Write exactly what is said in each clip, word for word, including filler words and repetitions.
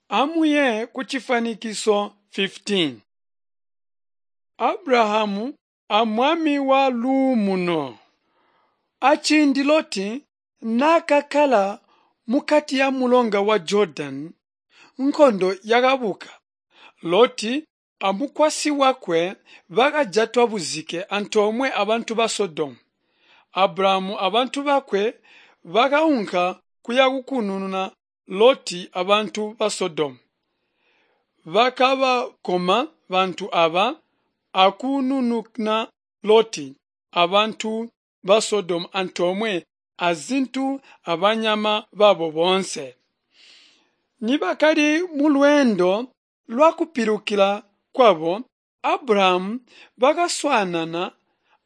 Amuye kucifwanikiso fifteen. Abrahamu a Mwami wa Luumuno. Aciindi Loti naakakkala mukati ya mulonga wa Jordani, nkondo yakabuka. Loti amukwasyi wakwe bakajatwa buzike antoomwe abantu ba Sodomu. Abrahamu abantu bakwe bakaunka kuyakukununa Loti abantu ba Sodomu. Bakabakoma bantu aba akunununa Loti abantu ba Sodomu antoomwe azintu abanyama babo boonse. Nibakali mulweendo lwakupilukila kwabo, Abrahamu bakaswaanana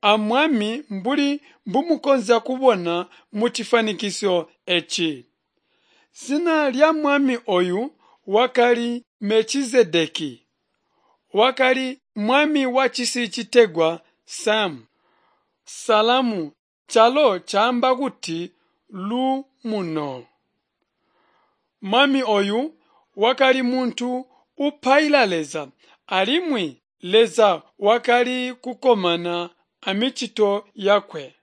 a Mwami mbuli mbumukonzya kubona mucifwanikiso eci. Zina lya mwami oyu wakali Melchizedeki. Wakali mwami wacisi citegwa Sam, Salamu, calo caamba kuti luumuno. Mwami oyu wakali muntu upaila Leza, alimwi Leza wakali kukkomana amicito yakwe.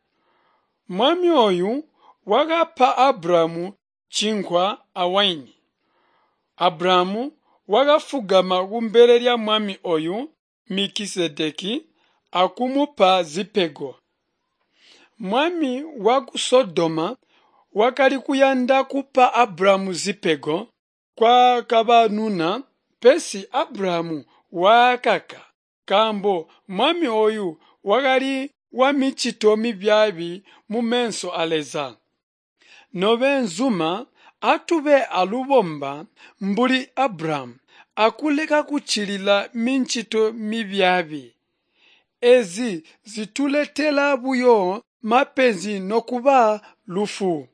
Mwami oyu wakapa Abrahamu cinkwa awaini. Abrahamu wakafugama kumbele lya mwami oyu Melchizedeki akumupa zipego. Mwami waku Sodoma wakali kuyanda kupa Abrahamu zipego kwakabanuna, pesi Abrahamu waakaka, nkaambo mwami oyu wakali wamicito mibyaabi mumeso a Leza. Nobeenzuma, atube alubomba mbuli Abrahamu akuleka kuccilila micito mibyaabi. Ezi zituletela buyo mapenzi nokuba lufu.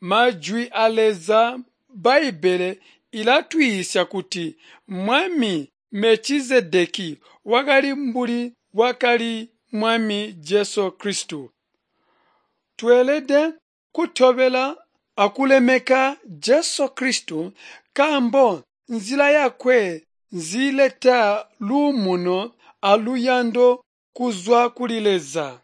Majwi a Leza Bbaibbele ilatwiisya kuti Mwami Melchizedeki wakali mbuli bwakali Mwami Jesu Kristu. Tweelede kutobela akulemeka Jesu Kristu nkaambo nzila yakwe nziileta luumuno aluyando kuzwa kuli Leza.